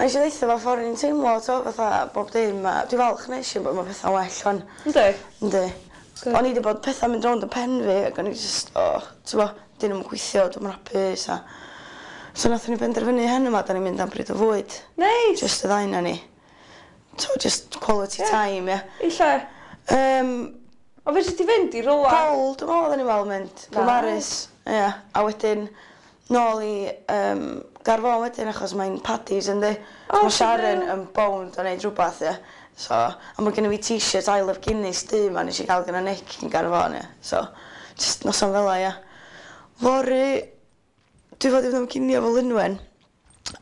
A nes i ddeutha fo ffor o'n i'n teimlo t'o' fatha bob dim a dwi falch nesh i bo' ma' petha'n well 'wan. Yndi. Yndi. Good. O'n i 'di bod petha'n mynd rownd yn pen fi ag o'n i jyst o t'bo' 'dyn nw'm yn gweithio dwi'm yn hapus a so nathon ni benderfynu heno 'ma 'dan ni'n mynd am bryd o fwyd. Neis. Jyst y ddau 'non ni. T'o' jyst quality Ie. time ia? I lle? Yym. O fedri di fynd i rywla. Pole dwi me'wl oddan ni me'wl mynd. Beaumaris. Ia. A wedyn nôl i yym Gaernarfon wedyn achos mae'n Paddy's yndi? O Ma' Sharon yn bownd o neud rwbath ia? So a ma' gynna fi t-shirt I love Guinness du 'ma nesh i ga'l gynna Nic yn Gaernarfon ia? So jyst noson fela ia? Fory dwi fod i fynd am cinio efo Lynwen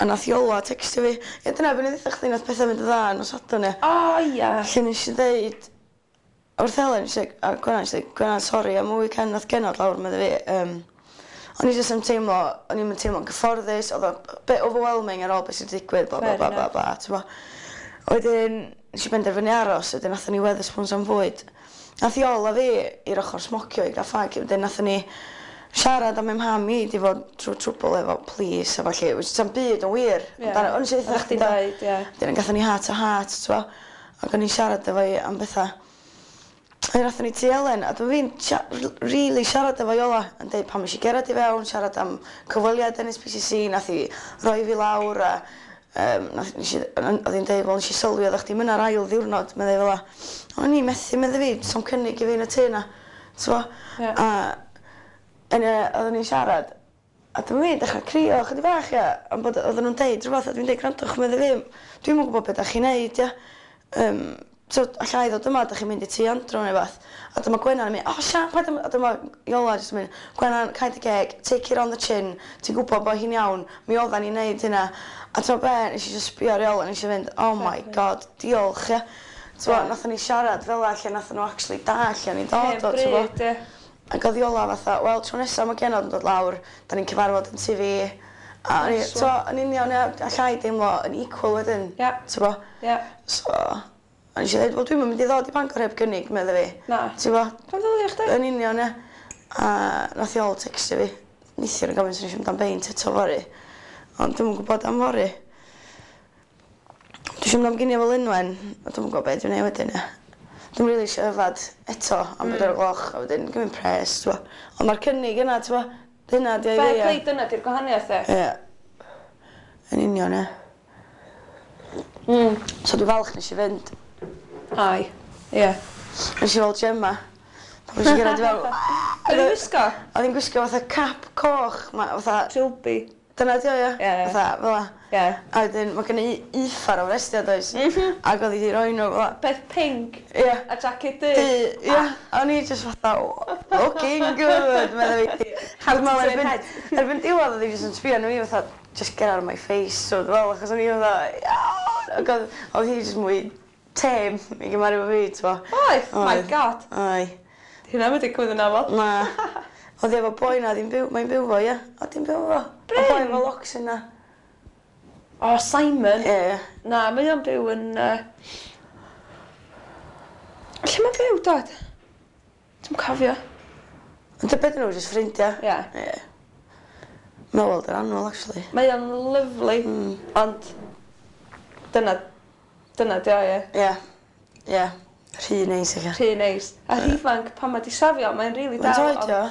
a nath Iola tecstio fi. Ia dyna be' o'n i ddeutha chdi nath petha fynd yn dda nos Sadwrn ia? O ia. Lle nesh i ddeud wrth Elen nesh i a Gwennan nesh i ddeud Gwennan sori am y weekend nath genod lawr medda fi yym o'n i jyst yn teimlo o'n i'm yn teimlo'n gyfforddus odd o bit overwhelming ar ôl be' sy 'di digwydd blah blah blah blah blah t'mo'. Wedyn nesh i benderfynu aros wedyn athon ni Wetherspoons am fwyd. Nath Iol a fi i'r ochor smocio i ga'l ffag wedyn nathon ni siarad am 'y mham i 'di fod trw trwbl efo police a ballu which sa'm byd yn wir. Ie. Amdano o'n i isio deutha Oddach chdi'n chdi do? deud ie. Wedyn gathon ni heart to heart t'mo' ac o'n i'n siarad efo 'i am betha. A athon ni tŷ Elen a dwi fi'n rili siarad efo Iola yn deud pam nes i gerad i fewn siarad am cyfweliad NSPCC nath 'i roi fi lawr a yym nath nesh i o'dd 'i'n deud wel nesh i sylwi oddach chdi'm yna'r ail ddiwrnod meddai fel 'a. O'n i methu medda fi sa'm cynnig i fi yn y tŷ 'na. T'mo'? Ie. A yn y oddwn ni'n siarad a dyma fi'n dechra crio chydig bach ia am bod oedden nhw'n deud rhywbeth a dwi'n deud gwrandwch medda fi dwi'm yn gwybod be' 'dach chi'n neud ia yym so alla i ddod yma 'dach chi'n mynd i tŷ Andrew neu wbath a dyma Gwennan yn mynd o Siân paid â my-" a dyma Iola jyst yn mynd Gwennan cau dy geg take it on the chin ti'n gwybod bo' hi'n iawn mi oddan ni'n neud hynna a t'mo' be' nes i jyst sbio ar Iola nesh i fynd oh my God diolch ia t'mo' nathon ni siarad fela lle nathon nhw actually dallt lle o'n i'n dod o t'mo'? Hen bryd ia. Ac odd Iola fatha wel tro nesa ma' genod yn dod lawr 'dan ni'n cyfarfod yn tŷ fi a o'n i t'mo' yn union ia allai deimlo yn equal wedyn. Ia. T'bo'? Ia. So o'n i isio ddeud wel dwi'm yn mynd i ddod i Bangor heb gynnig medda fi. Na. T'bo'? Pam ddylia chdi? Yn union ia. A nath Iol tecstio fi neithiwr yn gofyn os o'n i isio mynd am beint eto fory. Ond dwi'm yn gwbod am fory. Dwi isio mynd am ginio efo Lynwen a dwi'm yn gwbo be' dwi'n neud wedyn ia. Dwi'm rili isio yfad eto am bedwar o'r gloch a wedyn gymryd pres t'bo'. Ond ma'r cynnig yna t'bo'? Hynna 'di o i fi ia? Fair play dyna 'di'r gwahaniaeth ia? Ia. Yn union ia. So dwi falch nesh i fynd. Ai. Ia. Nesh i weld Gemma. Pan nes i gyrraedd i fewn Be' o'dd 'i'n wisgo? O'dd 'i'n gwisgo fatha cap coch ma' fatha Trilby. Dyna 'di o ia? Ie. Fatha fel 'a. Ie. A wedyn ma' gynna i uffar o frestia does? M-hm. Ag o'dd 'i 'di roi n'w fel 'a. Peth pinc. Ia. A jacket du. Du ia. A o'n i jyst fatha w- looking good medda fi. How to turn erbyn heads. erbyn diwadd o'dd 'i jyst yn sbio arno fi fatha just get out of my face so dwi me'wl achos o'n i fatha iawn ag o'dd o'dd hi jyst mwy tame i gymaru efo fi t'bo'? Oedd? My God. Ai. 'Di hynna'm yn digwydd yn amal. Na. O'dd 'i efo boi 'na o'dd 'i'n byw mae'n byw 'fo ia? O'dd 'i'n byw efo? Bryn? Y boi efo locsyn 'na. O Simon? Ie ie. Na mae o'n byw yn yy Lle ma'n byw dad? Dwi'm cofio. Ond ta be' 'dyn nhw jyst ffrindia? Ie. Ie. Mae o weld yr annwyl actually. Mae o'n lyfli. Ond dyna Dyna 'di o ie? Ie. Ie. Rhy neis ella. Rhy neis. A rhy ifanc pan ma' 'di shafio mae'n rili dal Faint oed 'di o?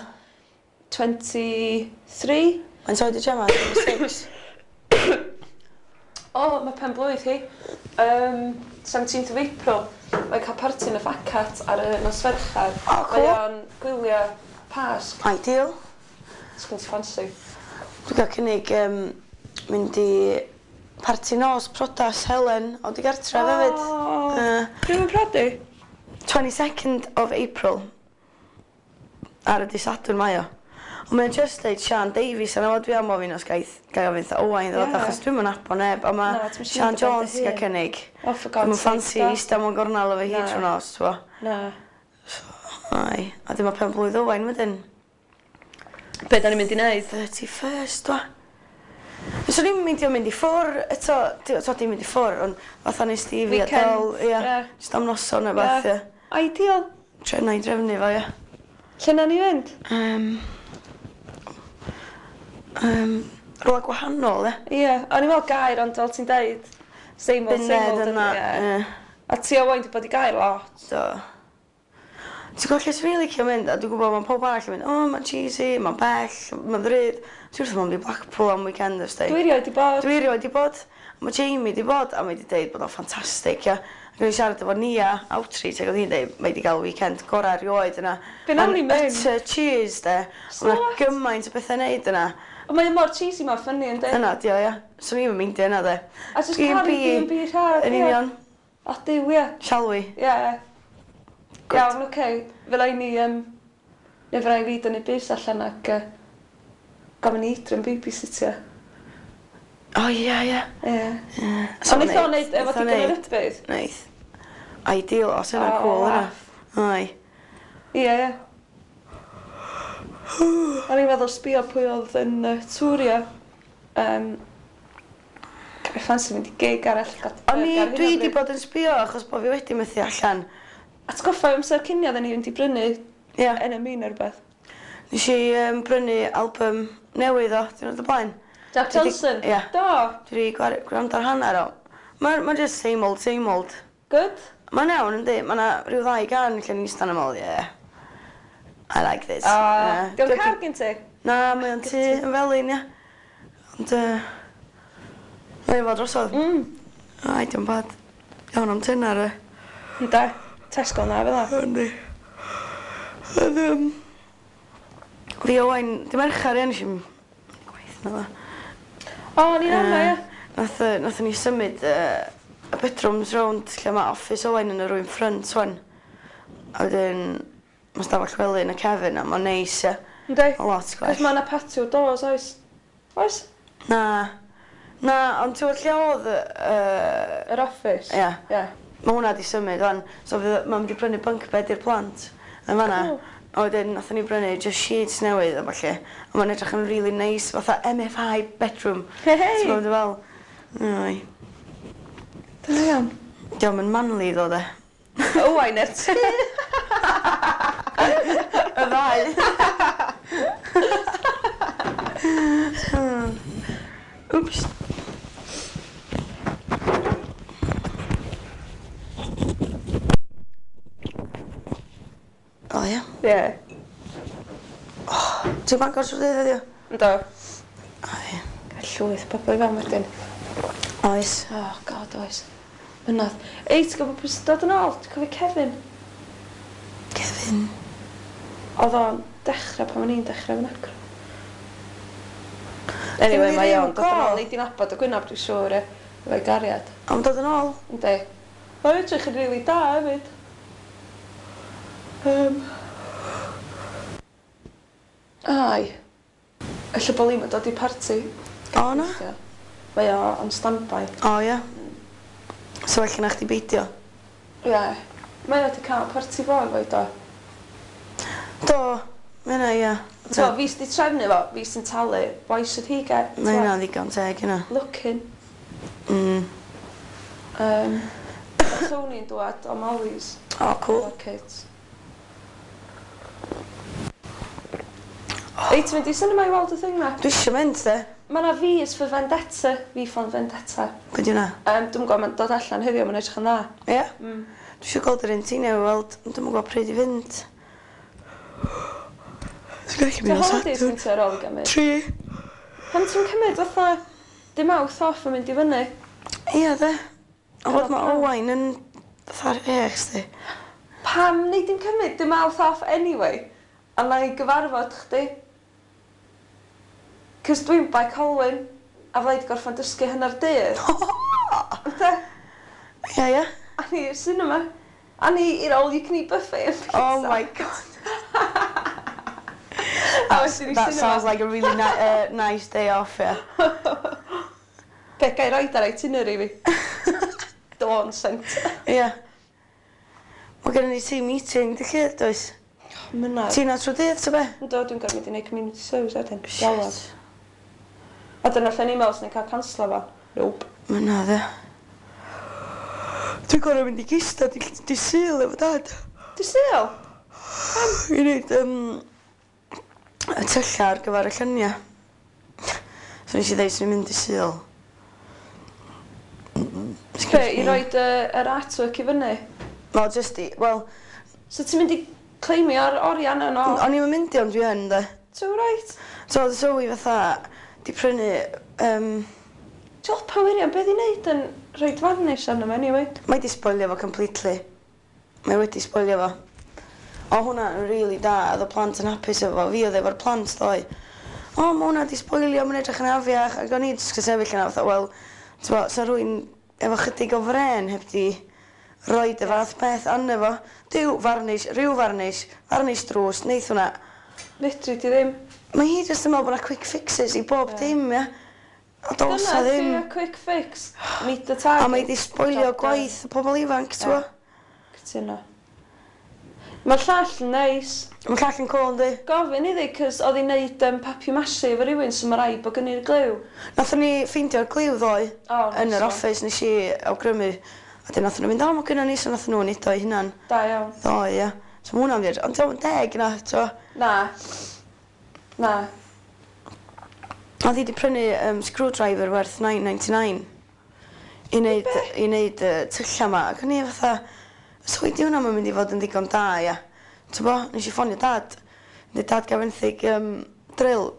23. Faint oed 'di Gemma? 26? O ma' pen-blwydd hi yym seventeenth of April. Mae'n ca'l parti yn y Ffacat ar y nos Fercher. O cŵl. Mae o'n gwylio Pasg. Ideal. Sgin ti ffansi? Dwi ga'l cynnig yym mynd i Parti nos prodas Helen o digartref hefyd. O! Yy. Pryd ma'n prodi? 22nd of April. Ar y dy' Sadwrn mae o. Ond mae o jyst deud Siân Davies arno fo dwi am ofyn os gaith gai ofyn 'tha Owain ddod Ie. achos dwi'm yn nabo neb a ma' Na ti'm isio Siân mynd ar ben Jones dy 'di ga'l hun. cynnig. Oh for God's Dwi'm yn sake ffansi stop. ista mewn gornel efo hi Na. trw nos t'bo'? Na. So ai. A 'dyn ma' pen-blwydd Owain wedyn. Be' 'dan ni'n mynd i neud? 31st dwa? Fyswn i'm yn meindio mynd i ffwr' eto t'o' dim mynd i ffwr' ond fatha nes di fi a Del ia. Ie. Jyst am noson ne' wbath ia. Ideal. Trio 'nai drefnu fo ia? Lle nawn ni fynd? Yym. Yym. Rhywle gwahanol, e. Ie, o'n i'n meddwl Gaer, ond fel ti'n deud, same old, same old. Yna, ie. A ti o Owain 'di bod i Gaer lot. Do. Ti'n gwybod lle swn i'n licio mynd, a dwi'n gwybod mae pob arall yn mynd, o, mae'n cheesy, mae'n bell, mae'n ddrud. Ti wrth fy modd mynd i Blackpool am weekend os di. Dwi erioed 'di bod. Dwi erioed 'di bod. Mae Jamie 'di bod, a mae 'di deud bod o'n ffantastig, ia. Ac o'n i'n siarad efo Nia Outreach, ac oedd hi'n deud mae 'di gael weekend gorau erioed yna. Be nawn ni mynd? Utter cheese, de. So Mae 'na what? gymaint o bethau neud yna. Ond mae o mor cheesy, mor funny, yndi? Yna, dio, ia. Swn i'm yn meindio yna, de. A jyst cael B&B rhad, Yn ie. union. O, Duw, ie. Shall we? Ie. Good. Iawn, oce. Okay. Fe rai ni, neu fe rai fi dynnu bus allan ac gofyn i Adrian babysitio. O, ie, ie. Ie. Ie. Ond neith o neud efo digon o rybudd. Neith. Ideal, os yna'n O, cool yna. laff. Ai. Ie, ie. O'n i'n meddwl sbio pwy oedd yn tourio. Fi ffansi mynd i gig arall. O'n i, dwi di bod yn sbio achos bod fi wedi methu allan. Atgoffa fi amser cinio oedden ni fynd i brynu Ie. NME neu rhywbeth. Nes i brynu album newydd o, diwrnod o blaen. Jack Dwi 'di- Johnson? Ie. Do. Dwi wedi gwrando ar hanner o. Mae'n ma just same old, same old. Good? Mae'n iawn, yndi. Mae yna rhyw ddau gan lle ni'n eistedd yn ymwyl, yeah. I like this. O, Ie. Diolch car gen ti? Na, mae o'n tŷ yn felyn, ia. Ond, mae'n fod drosodd. Ai, diolch bad. Iawn am tynar, e. Ynde. Tesco na, fel 'na. Yndi. Oedd, fi Owain, di Mercher, ie, nes i'm gwaith na dda. O, ni'n ama, ie. Nath, nathon ni symud y bedrooms rownd lle mae office Owain yn y rwyn ffrynt wan. A wedyn, mae stafell wely yn y cefn a mae'n neis, ie. Yndi. A lot gwell. Cos mae yna patio doors, oes? Oes? Na. Na, ond ti'n gwybod lle oedd... Yr office? Ie. Ie. Mae hwnna di symud wan. So mae'n mynd i brynu bunk bed i'r plant yn fanna. Cool. A wedyn nathon ni brynu just sheets newydd a ballu. A mae'n edrych yn really nice, fatha MFI bedroom. Hei, hei! Ti'n gwybod fel? Ai. Da iawn. Diolch yn manly ddo de. Owain er ti. Y ddau. Oops. O ie. Ie. Ti'n Bangor trwy'r dydd heddiw? Ynddo. O ie. Gael llwyth bobl i fewn wedyn. Oes. Oh, God, oes. Mynadd. Ei, ti'n gwybod pwy sy'n dod yn ôl? Ti'n cofio Kevin? Kevin. Oedd o'n dechrau pan o'n i'n dechrau yn acro. Anyway, Ddim mae yn o'n dod yn go. ôl. Nei di'n nabod y gwynab, dwi'n siŵr, e. Efo'i gariad. Ond dod yn ôl. Yndi. Mae'n edrych yn rili da hefyd. Ai. Ella bod Liam yn dod i parti. O, na? Mae o on standby. O ie. So felly na chdi beidio. Ie. Yeah. Mae o wedi cael parti fo efo'i do. Do. Mae hynna ie. So, fi sydd wedi trefnu fo, fi sy'n talu. Why should he get? Mae hynna'n ddigon teg yna. Looking. Tony'n dwad o Molly's. O, cool. O'r kids. Ei, ti'n mynd i cinema i weld y thing na? Dwi eisiau mynd, de. Mae na V is for Vendetta, V for Vendetta. Be di hwnna? Dwi'n gwybod, mae'n dod allan heddiw, mae'n edrych yn dda. Ie? Dwi eisiau gweld yr un ti newydd weld, ond dwi'm yn gwybod pryd i fynd. Dwi'n gallu Ti'n mynd o holidays Sadwrn. gen ti ar ôl i gymryd? Tri. Pam ti'n cymryd fatha dim mawth off yn mynd i fyny? Ie, de. Ond bod mae Pam? Owain yn fatha'r eich, di. Pam nei di'n cymryd dim mawth off anyway? A na i gyfarfod chdi? Cys dwi'n Bae Colwyn, a fydda i 'di gorffan dysgu hanner dydd. Ynde? Ie, ie. A ni i'r cinema. A ni i'r all you can eat buffet and pizza. Oh my god. A wedyn i That cinema. sounds like a really nice day off, yeah. Be, gai roid ar itinerary fi? Dawn Centre. Ie. Mae gennym ni team meeting, dy lle, does? Mynadd. Ti'n na trwy dydd, ta be? Yndw, dwi'n gorfod mynd i neud community service wedyn. Galwad. A dyna lle ni'n meddwl sy'n cael canslo fo. Nope. Mynadd, ie. Dwi'n gorfod mynd i gista di Sul efo dad. Di Sul? I wneud y tylla ar gyfer y lluniau. So nes i ddeud swn i'n mynd i Sul. Be, i roid yr artwork i fyny? Wel jyst i, wel... So ti'n mynd i claimio'r oriau yna nôl? O'n i'm yn mynd i ond dwi yn de. So reit. So oedd Zoe fatha 'di prynu yym... Jopa wirion, be' oedd hi'n neud yn rhoid varnish arno fo anyway? Mae 'di sboilio fo completely. Mae wedi sboilio fo. O hwnna yn rili da, oedd y plant yn hapus efo fo. Fi oedd efo'r plant ddoe. O ma' hwnna 'di sboilio, mae'n edrych yn afiach. Ac o'n i jyst yn sefyll yna fatha wel, t'mo' 'sa rywun efo chydig o frên heb 'di roid y fath beth arno fo. Duw, varnish, rhyw varnish, varnish drws, neith hwnna. Fedri di ddim. Mae hi jyst yn meddwl bod 'na quick fixes i bob dim ia? A do's 'na ddim. Dyna ydi y quick fix. Meet the target. A mae 'di sboilio gwaith y pobl ifanc t'mo'? Cytuno. Mae'r llall yn neis. Mae'r llall yn cŵl yndi? Gofyn iddi 'cos oedd hi'n neud yym papier mache efo rywun so ma' raid bod gynni'r gliw. Nathon ni ffeindio'r gliw ddoe. O nice one. Yn yr office nes i awgrymu a 'dyn nathon nhw mynd o ma' gynnon ni so nathon nhw neud o eu hunan. Da iawn. Ddoe ia. So ma' hwnna'n wir ond 'di o'm yn deg na t'mo'? Na. Na. Oedd hi 'di prynu yym screwdriver werth 9.99 i neud i neud y tylla 'ma ac o'n i fatha so 'di hwnna 'm yn mynd i fod yn ddigon da ia? T'bo? Nesh i ffonio dad. Deud dad ga' fenthyg yym drill.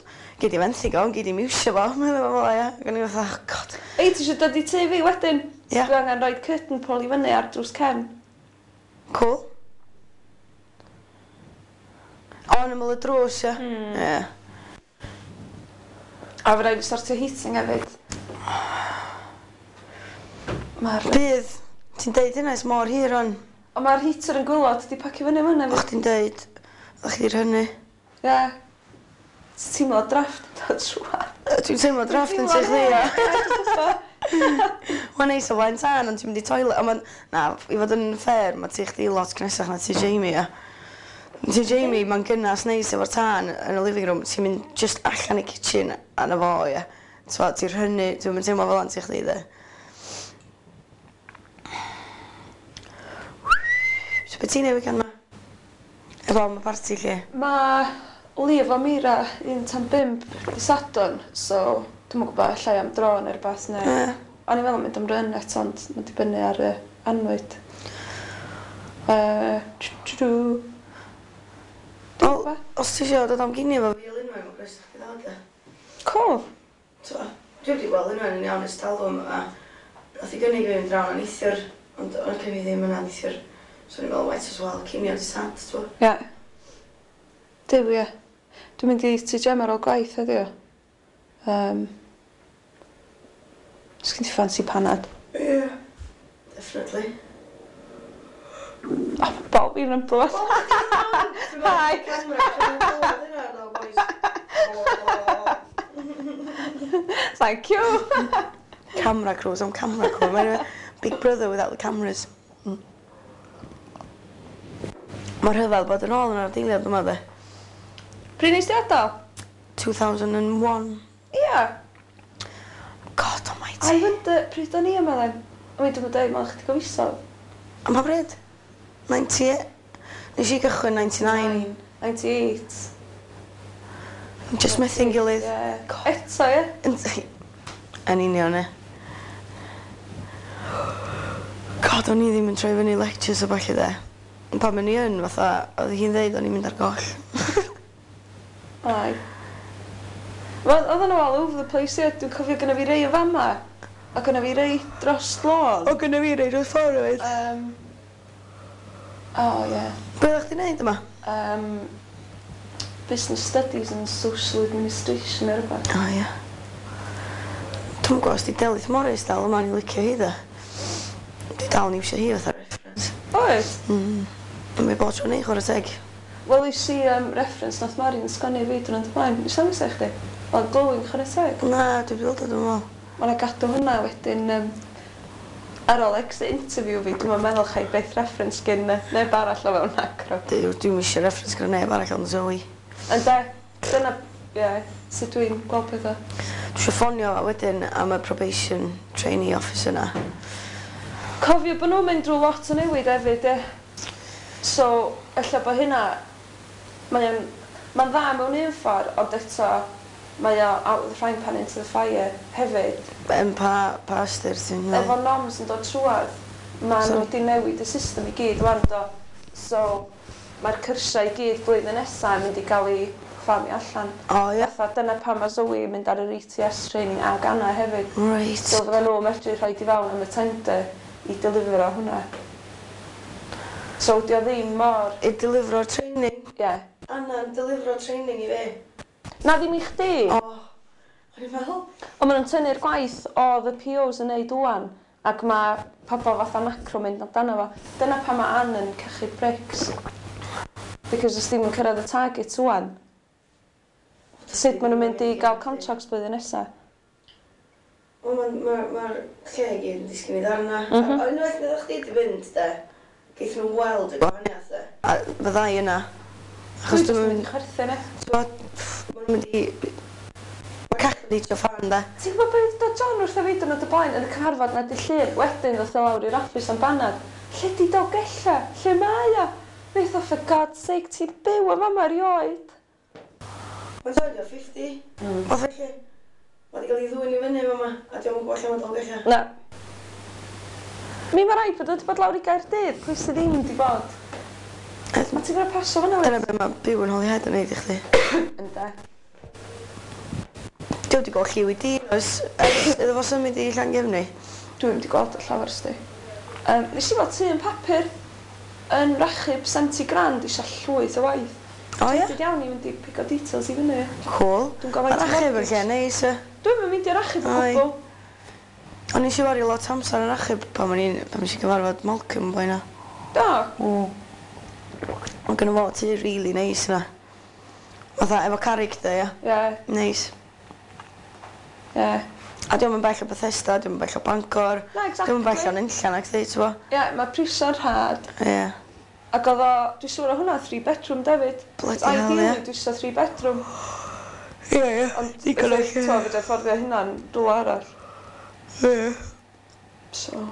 Gei di fenthyg o ond gei di'm iwsio fo medda fo fela ia? Ac o'n i fatha oh God. Ei ti isio dod i tŷ fi wedyn? Ia. Dwi angen roid curtain pole i fyny ar drws cefn. Cŵl. O yn ymyl y drws ia? Hmm. Ie. A fy raid fi sortio heating hefyd. Ma'r... Bydd. Ti'n deud hynna ers mor hir rwan. Ond ma'r heater yn gwilod 'di pacio fyny yn fan 'na. O' chdi'n deud o' chdi 'di rhynnu. Ie. Ti'n teimlo drafft yn dod trwadd. Dwi'n teimlo drafft yn tŷ chdi ia. Mae'n neis o flaen tân ond ti'n mynd i toilet a ma'n na i fod yn fair ma' tŷ chdi lot gnesach na tŷ Jamie ia? Tŷ Jamie ma'n gynas neis efo'r tân yn y living room ti'n mynd jyst allan i kitchen a 'na fo ia? T'mo' ti'n rhynnu dwi'm yn teimlo fel 'a yn tŷ chdi 'de. So be' ti'n neud weekend 'ma? Efo am y parti 'lly? Ma' Lee efo Meira un tan bump dy' Sadwrn so dwi'm yn gwbo ellai am dro ne' rwbath ne'... Ie. O'n i'n meddwl mynd am run eto ond ma'n dibynnu ar y annwyd. Yy dw. Wel os ti isio dod am ginio efo fi a Lynwen ma' croeso i chdi ddod 'de. Cŵl. T'mo', dwi 'eb 'di gweld Lynwen yn iawn ers talwm a nath hi gynnig i fi fynd draw 'na neithiwr ond o'n i ddim yna neithiwr so o'n i'n meddwl might as well cinio dy' Sad t'mo'? Ie. Duw ie. Dwi'n mynd i Tŷ Gem ar ôl gwaith heddiw. Yym. Os gen ti ffansi panad. Ie. Definitely. O ma' bol fi'n rymblo. Hi! Thank you! Camera crews, I'm camera crew. Mae'n Big Brother without the cameras. Mae rhyfedd bod yn ôl yn yr adeilad yma de. Pryd nes di adael? 2001. Ia. God almighty. I wonder pryd o'n i yma then? I mean dwi'm yn deud mond chydig o fisoedd. Am pa bryd? 98? Nes i gychwyn 99. 98. Jyst methu'n gilydd. Ie. God. Eto ie? Yn yn union ie. God o'n i ddim yn troi fyny lectures a ballu 'de. Pan o'n i yn fatha o'dd hi'n ddeud o'n i'n mynd ar goll. Aye. Wel odden nhw all over the place ie. Dwi'n cofio gynna fi rei o fama a gynna fi rei dros lôn. O gynna fi rei dros ffor efyd. Yym. O ie. Be' oddach chdi'n neud yma? Business Studies and Social Administration neu rwbath. O ia. Dwi'm yn gwbo os 'di Delyth Morris dal yma o'n i'n licio hi 'de. Dwi dal yn iwsio hi fatha reference. Oes? Mm. Mae bob tro'n neu' chware teg. Wel es i yym reference nath Marion sgwennu i fi diwrnod o blaen. Nes i ddangos o i chdi? Oedd glowing chware teg. Na, dwi 'di weld o dwi'm yn me'wl. Ma' 'na gadw hwnna wedyn yym ar ôl exit interview fi dwi'm yn meddwl cha i byth reference gin neb arall o fewn Acro. Duw dwi'm isio reference gynna neb arall ond Zoe. Ynde? Dyna ie sut dwi'n gweld petha. Dwi isio ffonio wedyn am y probation trainee officer 'na. Cofio bo' nw'n mynd drw lot o newid efyd ie? So ella bo' hynna mae o'n ma'n dda mewn un ffor ond eto Mae o out of the frying pan into the fire hefyd. Yn pa ystyr ti'n meddwl? Efo noms yn dod trwadd, ma' nhw wedi newid y system i gyd wan do. So mae'r cyrsiau i gyd blwyddyn nesa yn mynd i gael eu chwalu allan. O ia? Fatha dyna pam mae Zoe yn mynd ar yr ETS training ag Anna hefyd. So fydden nhw medru rhoi i fewn am y tender i delifro hwnna. So di o ddim mor. I delifro'r training? Ie. Yeah. Anna'n delifro training i fi? Na, ddim i chdi. O, o'n i'n meddwl. Ond maen nhw'n tynnu'r gwaith oedd y POs yn neud ŵan, ac mae pobl fatha Macro mynd amdano fo. Dyna pam mae Ann yn cachu bricks. Because os ddim yn cyrraedd y target ŵan, sut maen nhw'n mynd i gael contracts blwyddyn nesaf? Wel, mae'r ma, ma lle i gyd yn disgyn i ddarna. A unwaith na chdi di fynd, de, geith nhw weld y gwahaniaeth, de. A fyddai yna. Achos dwi'n mynd i chwerthin, e. Maen nhw'n mynd i. Mae cachu di fan, de. Ti'n gwybod beth dod John wrtho fi diwrnod y blaen yn y cyfarfod na dy Llun, wedyn ddoth o lawr i'r office am banad. Lle di Dolgella? Lle mae o? Wnaeth o, for God's sake, ti'n byw yn fama erioed. Mae'n dod o 50. Fath felly. Mae di gael ei ddwyn i fyny fama, a diolch yn gwybod lle mae Dolgella. Na. Mi mae rhaid bod o wedi bod lawr i Gaerdydd, pwy sydd ddim wedi bod? Ma ti'n gorfod pasio fyna. Dyna be mae byw yn Holyhead yn neud i chdi. Ynde. Dwi wedi gweld lliw i di ers iddo fo symud i Llangefni. Dwi'm wedi gweld o llawer sti. Nes i weld tŷ yn papur yn Rachub 70 grand isio llwyth o waith. O ie? Excited iawn i fynd i pigo details i fyny. Cool. Dwi'n gwybod faint o Rachub yn mortgage. lle neis, e. Dwi'm yn mynd i'r Rachub o Ai. gwbl. O'n i eisiau wario lot o amser yn Rachub pan nes i gyfarfod Malcolm boi na. Do. Mae gynno fo tŷ really neis yna. Fatha efo character, ia. Ie, Neis. ie. A diolch yn bell o Bethesda, diolch yn bell o Bangor. Na, exactly. Diolch yn bell o'n unllan ac dweud, ti'n bo? Ie, mae prisio'n rhad. Ie. Ac oedd o, dwi'n siŵr o hwnna, 3 bedroom David. Bloody hell, Ideally, ie. dwi eisiau 3 bedroom. Ie. Ond, Digon o lle. Ti'n fedra i fforddio hynna'n rhywle arall. Ie. So.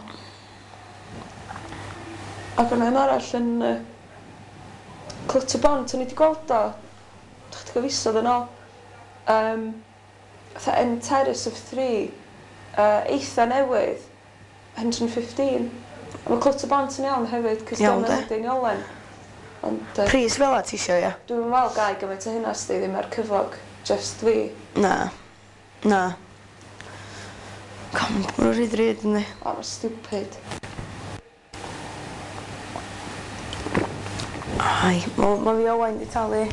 Ac o'na un arall yn Clutterbont, o'n i wedi gweld o chydig o fisoedd yn ôl. Fatha end terrace of three, eitha newydd, 115. A mae Clutterbont yn iawn hefyd, cos Iawn, dio'm yn de. Deiniolen. Ond Pris fel a ti isio, ie? dwi'n meddwl gai gymaint o hynna sti ddim ar cyflog, just fi. Na. Na. Com, maen nhw'n rhy ddrud, yndi? O, mae'n stupid. Ai, ma fi Owain di talu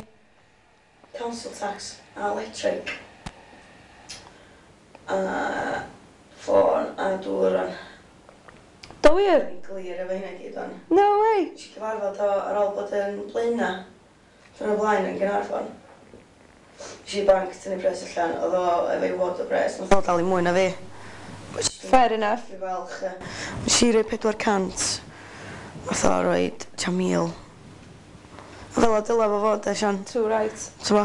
council tax a electric a ffôn a dŵr o'n. Do wir? Ni'n glir efo hynna i gyd o'n. No way! Nes i cyfarfod o ar ôl bod yn Blaena. Dyna blaen yn Gaernarfon. Nes i banc tynnu pres allan, oedd o efo'i wad o bres. Nath o dalu mwy na fi. Fair enough. Dwi'n falch. Ie. Nes i roi 400. Nath o roi tua 1000. A fel o dyla fo fod, e, Sian. Too right. Ti'n bo?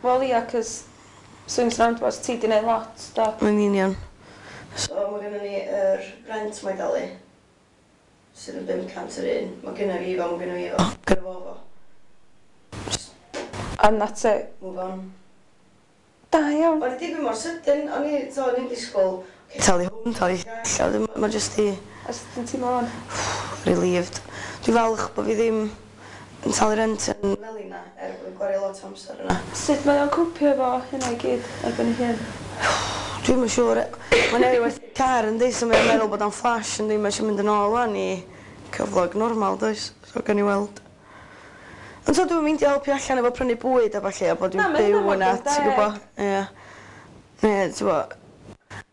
Wel ia, cos swings roundabouts, ti di neud lot, do. Mae'n union. So mae gennym ni yr rent mae'n dalu. Sydd yn 500 yr un. Mae gennym fi fo, mae gennym fi fo. Gynna fo fo. Just And that's it. move on. Da iawn. O'n i digwydd mor sydyn, o'n i, so, o'n i'n disgwyl, okay, talu hwn, talu llall, mae jyst i A sut ti'n teimlo wan? relieved. Dwi'n falch bod fi ddim yn talu rent yn Melina, er bod fi'n gwario lot o amser yna. Sut mae o'n cwpio efo hynna i gyd erbyn i hyn? Dwi'm yn siŵr, mae'n newid werthu car yn so mae'n meddwl bod o'n flash yn mae eisiau mynd yn ôl wan i cyflog normal, does? So gan i weld. Ond so dwi'n mynd i helpu allan efo prynu bwyd a ballu, a bod Na, dwi'n ma' hynna byw mor yna, deg. ti'n gwybod? Ie. Ne, ti'n gwybod.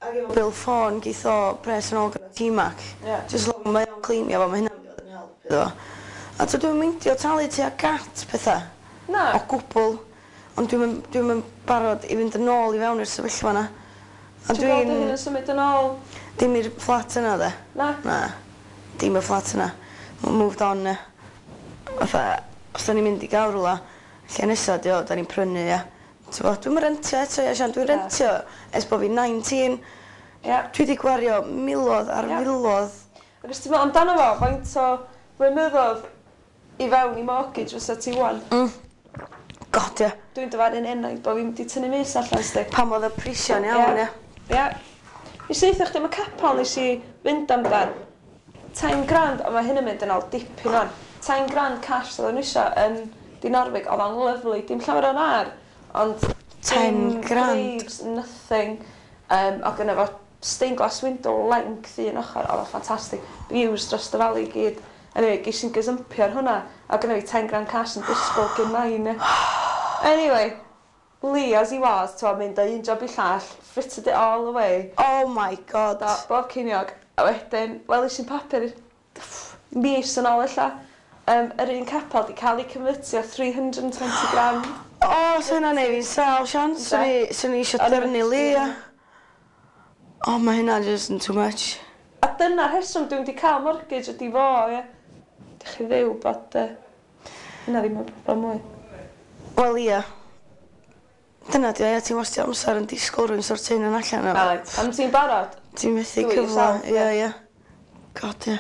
Ac efo bil ffôn geith o pres yn ôl gyda T-Mac. Ie. Just long mae o'n claimio fo, mae hynna'n mynd i fod yn help iddo fo. A so dwi'n meindio talu tuag at pethau. Na. O gwbl. Ond dwi'n dwi barod i fynd yn ôl i fewn i'r sefyllfa yna. A Ti'n gweld dy dwi'n hun yn symud yn ôl? Dim i'r fflat yna, de. Na. Na. Dim y fflat yna. Moved on, ne. Fatha, os da ni'n mynd i gael rhywle, lle nesa di o, da ni'n prynu, ia. T'bo, dwi'm yn rentio eto, ia, Sian, dwi'n Na. rentio ers bod fi'n 19. Ie. Dwi wedi gwario miloedd ar filoedd. Ac os ti'n meddwl amdano fo, faint o flynyddoedd i fewn i mortgage fysa ti wan? God, ia. Dwi'n dyfaru'n enaid bod fi'n mynd i tynnu mys allan, sti. Pam oedd y prisio'n iawn, ia. Ia. Nes i ddeutha chdi am y capel nes i fynd amdan. 10 grand, ond mae hyn yn mynd yn ôl dipyn o'n. 10 grand cash oedd o'n isio yn Dinorwig, oedd o'n lovely, dim llawer o'n ar, ond 10 dim grand. graves, nothing. O gynna fo stained glass window length un ochr, oedd o'n ffantastig. Views dros y valley i gyd. Anyway, ges i'n gazumpio ar hwnna, a gynna fi 10 grand cash yn disgwyl gyn nain. Anyway, Lee, as he was, ti'n mynd o un job i llall, frittered it all away. Oh my God. Do, bob ceiniog. A wedyn, welis i'n papur mis yn ôl ella, yr un capel di cael ei convertio 320 grand. O, so hynna'n neud fi'n sâl, Sian. Swn i eisiau O'n i'n dyrnu Lee, ia. O, mae hynna just yn too much. A dyna'r rheswm dwi'n di cael mortgage ydi fo, ie. Dych chi ddew bod hynna ddim yn broblem mwy. Wel, ia. Dyna di o, ia, ti'n wastio amser yn disgwyl rhywun sortio hynna'n allan. Ai, am ti'n barod? Ti'n methu Do it cyfle. yourself, Ia, ia. God, ia.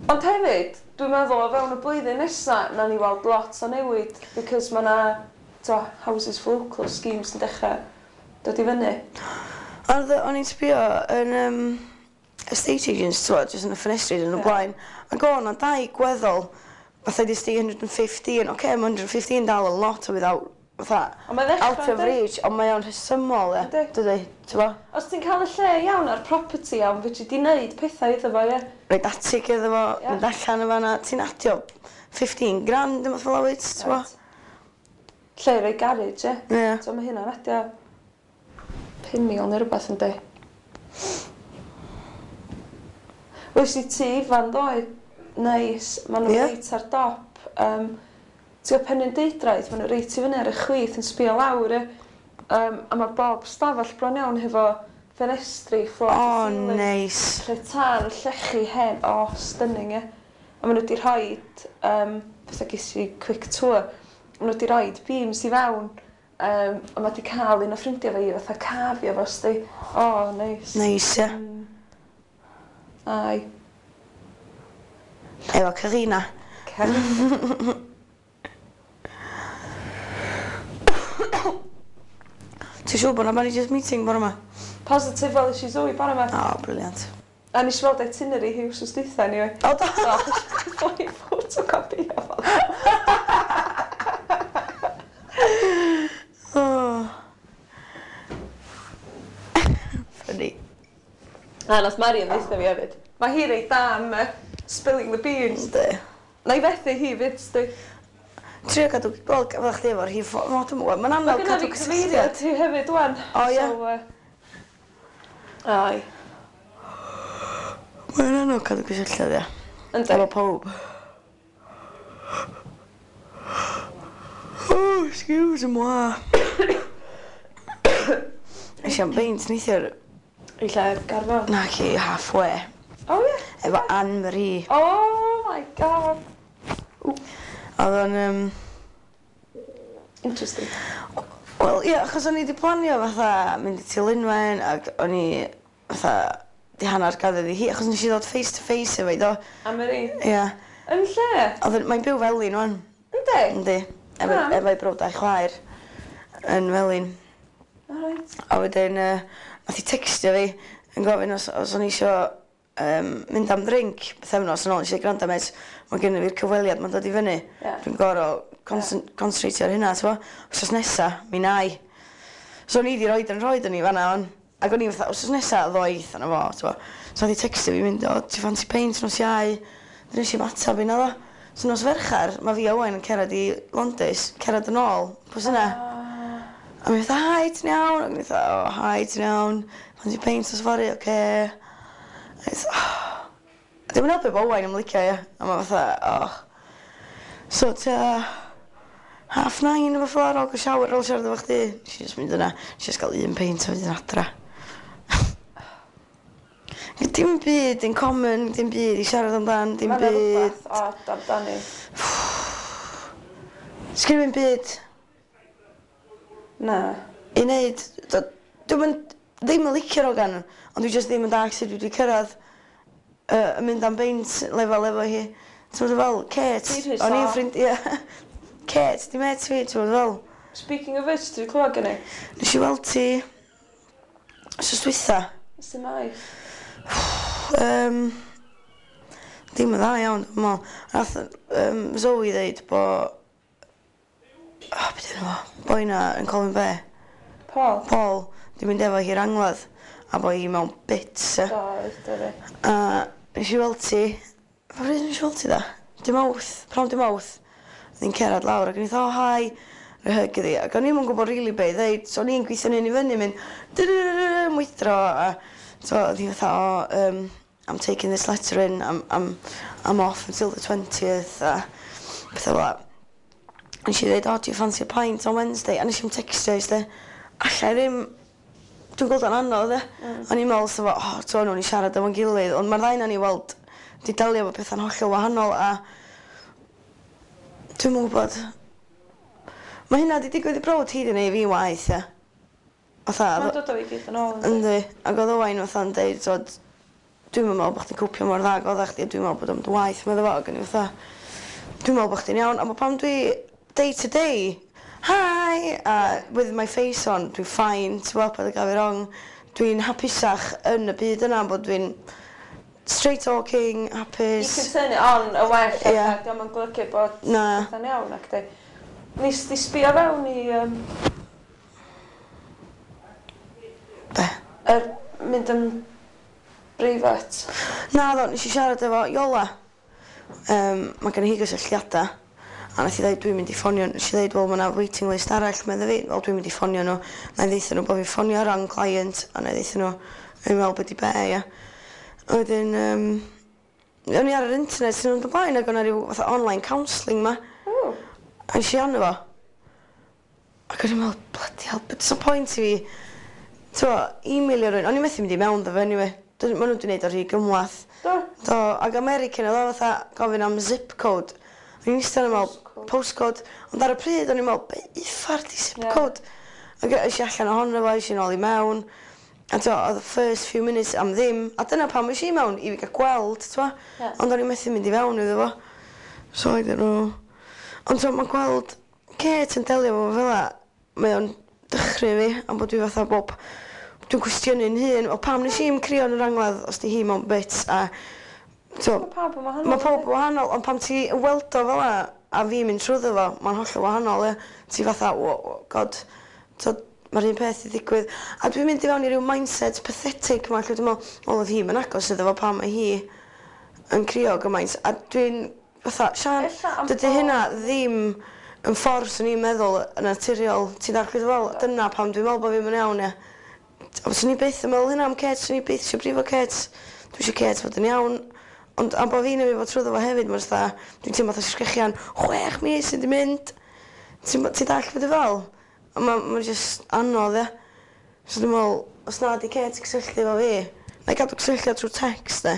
Ond hefyd, dwi'n meddwl o fewn y blwyddyn nesa, na ni weld lot o newid, because mae na, to, houses for local schemes yn dechrau dod i fyny. Ond o'n i'n sbio yn estate agents, ti'n gwbod, jyst yn y ffenestri yn y blaen. Ac o'n na dau gweddol, fatha di 115, oce, okay, mae 115 dal a lot o without, fatha, Ond mae ddechrau, out of yndi? reach, ond mae o'n rhesymol, ia. Yndi. Dydy, ti'n gwbod? Os ti'n cael y lle iawn a'r property iawn, fedri di wneud pethau iddo fo, ie. Roid atig iddo fo, mynd allan o fan'na, ti'n adio 15 grand, dim fel wyt, ti'n gwbod? Lle i roi garage, ie. Ie. So mae hynna'n adio 5,000 neu rhywbeth yndi. Wes i ti Ifan ddoe, neis, maen nhw reit ar dop. Ti'n gwybod Penrhyn Deudraeth, maen nhw reit i fyny ar y chwith yn sbio lawr, ie. A mae bob stafell bron iawn hefo ffenestri, floor to O, ceiling. neis. Lle tân, llechi hen, o, stunning, ie. A maen nhw wedi rhoid, fatha ges i quick tour, maen nhw wedi rhoid beams i fewn, a mae wedi cael un o ffrindiau fi fatha cafio fo, sti. O, neis. Neis, ia. Ai. Efo Carina. Carina. Ti'n siŵr bod na managers meeting bore yma? Positive fel i Zoe bore yma. O, brilliant. A nes i weld itinerary hi wsos dwytha, anyway. O, do? So, ffoi photocopy o fo. Oh. Funny. A nath Marion ddeutha fi hefyd. Mae hi reit da am spilling the beans. Yndi. Na i fethu hi fyd, sti. Trio cadw, wel, fel chdi efo'r rhif, o, dwi'm yn gwbod, mae'n Mae anodd gynna cadw fi cyfeiriad hi hefyd, wan. O, ie? So, ai. Mae'n anodd cadw cysylltiad, ia. Yndi. Efo pawb. Oh, excuse moi. Es i am beint neithiwr, I lle Garfon. na ci, halfway. O, ie. Efo Anne-Marie. Oh my God. Oedd o'n, Interesting. Wel, ie, achos o'n i wedi planio fatha mynd i Tilynwen ac o'n i fatha di hanner gadded i hi, achos nes i ddod face to face efo i do. Anne-Marie. Ie. Yn lle? Oedd mae'n byw Felin wan. Yndi? Yndi. Efo, Pam? efo'i brawd a'i chwaer yn Felin. Alright. A wedyn, nath i textio fi yn gofyn os o'n i isio mynd am drink pythefnos yn ôl. Nes i gwrando mêt, mae gen i fi'r cyfweliad, mae'n dod i fyny. Dwi'n gorfod concentratio ar hynna, ti'n bo? Wsos nesa, mi na i. So o'n i di roed yn rhoed yn i fan'na, on. Ac o'n i fatha, wsos nesa, ddoeth arno fo, ti'n bo? So nath i textio fi mynd, o, ti fancy peint nos Iau? Dyn nes i'm atab i naddo. So nos Ferchar, mae fi a Owain yn cerdded i Londis, cerdded yn ôl, pwy sy'n yna? A mi fatha, hi, ti'n iawn? Ac mi fatha, o, hi, ti'n iawn? Fancy peint nos fory, oce. A mi fatha, oh. A dim yn helpu bod Owain yn licio, ia. A ma fatha, oh. So, tua 9:30 efo ffordd ar ôl gael shower, ar ôl siarad efo chdi. Nes i just mynd yna, nes i just gael un peint a wedyn adra. Dim byd in common, dim byd i siarad amdan, dim Mae 'na byd. rhywbeth od amdani. Sgyn i'm byd Na. i wneud. Dwi'm yn, ddim yn licio'r hogan, ond dwi jyst ddim yn dallt sut dwi wedi cyrraedd yn mynd am beint lefel efo hi. Ti'n meddwl fel, Kate, Ti'n rhy o'n i'n soft. ffrind, ie. Kate, di met fi, ti'n gwybod fel. Speaking of which, ti wedi clywed gen i? Nes i weld ti wsos dwytha. Sut mae? Dim yn dda iawn, dwi'n meddwl. Nath Zoe ddeud bo... Oh, beth yw'n fo? Boi na yn Colwyn Bay. Paul? Paul, di mynd efo hi'r angladd. A bo hi mewn bits, e. Do, do fi. A nes i weld ti... Pa bryd nes i weld ti da? Dy Mawrth, pnawn dy Mawrth. Oedd hi'n cerdded lawr ac o'n i fatha, oh, hi. Rhoi hug iddi. Ac o'n i'm yn gwybod rili be i ddeud, so o'n i'n gweithio'n hun i fyny, mynd dyryryryrr, mwydro, a so oedd hi fatha, oh, I'm taking this letter in, I'm off until the 20th, a pethau fel 'a. Nes i ddeud, oh, do you fancy a pint on Wednesday? A nes i'm textio hi, sti. Alla i ddim, dwi'n gweld o'n anodd, e. O'n i'n meddwl, so fo, oh, to, nhw'n i siarad efo'n gilydd, ond mae'r ddau na ni weld, di delio efo pethau'n hollol wahanol, a dwi'm yn gwybod. Mae hynna di digwydd i brawd hi di neud fi waith, ia. Fatha, Mae'n dod o i gyd yn ôl. Yndi? Yndi. Ac oedd Owain fatha'n deud, t'od, dwi'm yn meddwl bod chdi'n cwpio mor dda ag oeddach chdi, dwi'n meddwl bod o'n waith, medda fo, ac o'n i fatha, dwi'n meddwl bod chdi'n iawn, ond pan dwi day to day, hi, a with my face on, dwi'n fine, ti'n gwybod, paid â gael fi wrong, dwi'n hapusach yn y byd yna, bod dwi'n straight talking, You hapus. can turn it on y well, Ie. yeah. Dio'm yn golygu bod Na. pethau'n iawn, ac di. Nes di sbio fewn i Be? Mynd yn breifat. Na ddo, nes i siarad efo Iola. Mae gen i hi gysylltiadau. A nath i ddeud, dwi'n mynd i ffonio. Nes i ddeud, wel, mae yna waiting list arall, medda fi. Wel, dwi'n mynd i ffonio nhw. Na i ddeutha nhw bod fi'n ffonio wrong client. A na i ddeutha nhw, yn meddwl bod i be, ia. A wedyn, o'n i ar yr internet sy'n mynd o blaen, ac o'na rhyw fatha online counselling ma. Ww. A nes i arno fo. Ac o'n i'n meddwl, bloody hell, but no point i fi, t'mo, e-mailio rhywun. O'n i methu mynd i mewn ddo fe, anyway. Ma' nhw wedi gwneud o rhy gymhleth. Do. Do, ac American oedd o fatha gofyn am zip code. O'n i'n eistedd yn meddwl, postcode. Ond ar y pryd o'n i'n meddwl, be uffar di zip code? Ac es i allan ohono fo, es i nôl i mewn. A t'mo, oedd y first few minutes am ddim. A dyna pam es i mewn, i fi gael gweld, t'mo. Ond o'n i'n methu mynd i fewn iddo fo. So I don't know. Ond t'mo, mae'n gweld Kate yn delio efo fo fel 'a, mae o'n dychryn fi, am bod dwi fatha bob... Dwi'n cwestiynu'n hun, o pam nes i'm crio yn yr angladd os di hi mewn bits, a... T'mo, Mae pawb yn wahanol. Mae pawb yn wahanol, ond pam ti yn weld o fel 'a, a fi mynd trwyddo fo, mae'n hollol wahanol, ie. Ti fatha, oh, oh God, t'od, mae'r un peth i ddigwydd. A dwi'n mynd i fewn i ryw mindset pathetic ma, lle dwi'n meddwl, wel, oedd hi'm yn agos iddo fo pam mae hi yn crio gymaint. A dwi'n fatha, Sian, Ella am dydy hynna ddim yn ffordd swn i'n meddwl yn naturiol. Ti'n dallt beth fel? Dyna pam dwi'n meddwl bod fi'm yn iawn, ie. Ond swn i byth yn meddwl hynna am Kate, swn i byth eisiau brifo Kate. Dwi eisiau Kate fod yn iawn. Ond am bod fi'n efo trwyddo fo hefyd, mae'n fatha, dwi'n teimlo fatha sgrechian, 6 mis sydd wedi mynd. Ti'n ti dallt beth fel? A mae'n ma just anodd, ie. So dwi'n meddwl, os na di Kate cysylltu efo fi, na i gadw cysylltiad trwy text, de.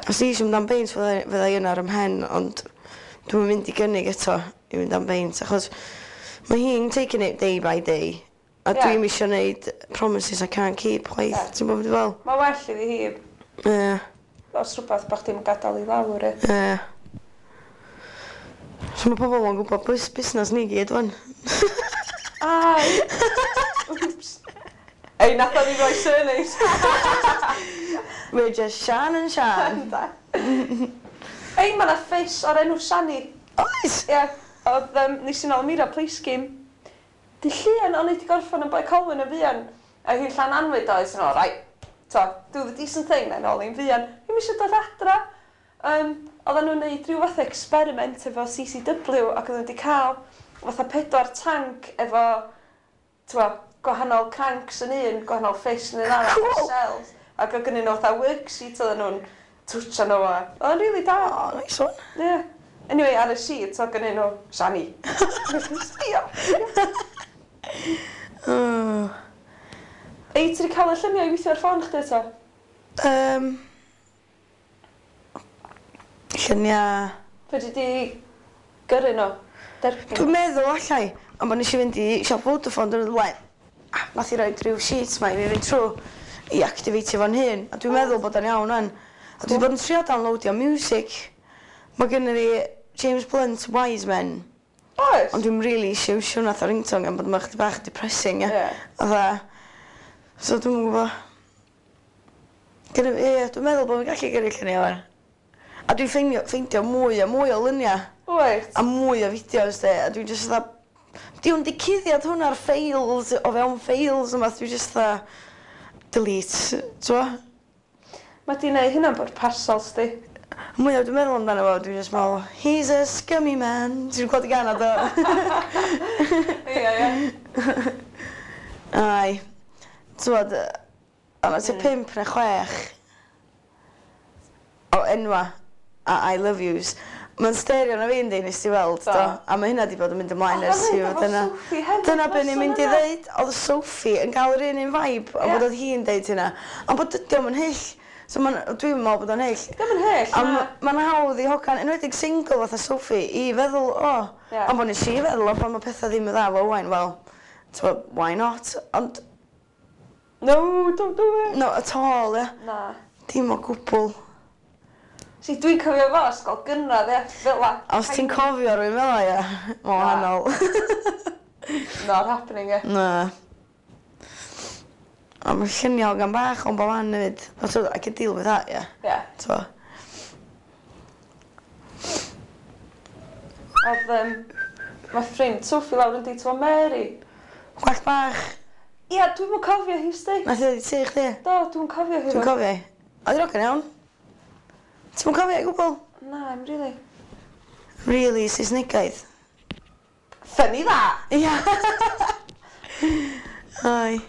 Os di eisiau mynd am beint, fydda i yna ar 'y mhen, ond dwi'n mynd i gynnig eto i fynd am beint, achos mae hi'n taking it day by day. A dwi'm isio neud promises I can't keep, chwaith. Ti'n gwybod beth fel? Mae well iddi hi os rhywbeth bach ddim yn gadael i lawr, e. Ie. So mae pobl yn gwybod busnes ni gyd, wan. Ai! Oops. Ei, nath o ddim rhoi surnames. We're just Sian and Sian. Ei, mae yna ffis o'r enw Shani. Oes? Ie, oedd, nes i nôl Mira play scheme. Di llun, o'n i wedi gorffan yn Bae Colwyn yn fuan. A hi'n Llananwyd oedd, sy'n right, so, do the decent thing, then, ôl i'n fuan. Hi'm eisiau dod adra. Oedden nhw'n neud rhyw fath o experiment efo CCW ac oedden nhw wedi cael fatha 4 tank efo, t'mo, gwahanol cranks yn un, gwahanol fish yn un arall, Cool. shells. Ac oedd gennyn nhw fatha worksheet oedden nhw'n twtio nhw a... Oedd o'n really da. Oh, nice one. Yeah. Anyway, ar y sheet oedd gennyn nhw Shani. Sbio. Oh. Ei, ti wedi cael y lluniau i weithio ar ffôn chdi eto? Lluniau... Fedri di gyrru nhw? Derbyn? Dwi'n meddwl allai, ond bod nes i fynd i siop Vodafone dyn nhw'n blaen. Nath i roed rhyw sheet ma i fi fynd trwy i activatio fo'n hun. A dwi'n meddwl bod o'n iawn wan. A dwi wedi bod yn trio downloadio music. Mae gen i fi James Blunt, Wise Men. Oes? Ond dwi'n rili isio iwsio hwnna fatha ringtone gan bod ma' chydig bach yn depressing ia. Ie. Fatha so dwi'm yn gwbo. Gynna fi ie dwi'n meddwl bo' fi'n gallu gyrru llunia 'wan. A dwi'n ffeinio ffeindio mwy a mwy o lunia. Wyt? A mwy o fideos 'de a dwi'n jyst fatha 'di o'm 'di cuddiad hwnna'r ffeils o fewn ffeils yma dwi jyst fatha delete t'mo'? Ma' 'di neu' hynna'n bwrpasol sdi. Mwya dwi'n meddwl amdano fo dwi jyst me'wl he's a scummy man. Ti 'di clywed y gân 'na do? Ie ie. Ai. T'mod yy o' 'na tua pump ne' chwech o enwa' a I love yous. Ma'n stario arna fi yndi nes di weld do? A ma' hynna 'di bod yn mynd ymlaen ers i fod yna. Dyna be' o'n i'n mynd i ddeud o'dd Sophie yn ga'l yr un un vibe a bod o'dd hi'n deud hynna. Ond bod dydi o'm yn hyll. So ma'n dwi'm yn me'wl bod o'n hyll. Dio'm yn hyll na. A ma'n hawdd i hogan enwedig single fatha Sophie i feddwl o ond bo' nes i feddwl o pan ma' petha ddim yn dda efo Owain wel t'mo' why not ond No don't do it. Not at all ia? Na. Dim o gwbwl. See dwi'n cofio fo ysgol gynradd ia, fel 'a. Os ti'n cofio rywun fel 'a ia, ma'n wahanol. Not happening ia. Na. A ma' llunia o gan bach o'n bo' man efyd. But t'od I can deal with that ia? Ia. T'mo'? O'dd yym ma' ffrind Sophie lawr yndi t'mo' Mary? Gwallt bach. Ia dwi'm yn cofio hi sti. Nath hi ddod i tŷ chdi? Do dwi'm yn cofio hi. Dwi'n cofio hi. Oedd hi'n ogan iawn. Ti'm yn cofio hi o gwbwl? Na 'im rili. Rili Saesnegaidd. Funny that! Ia! Ai.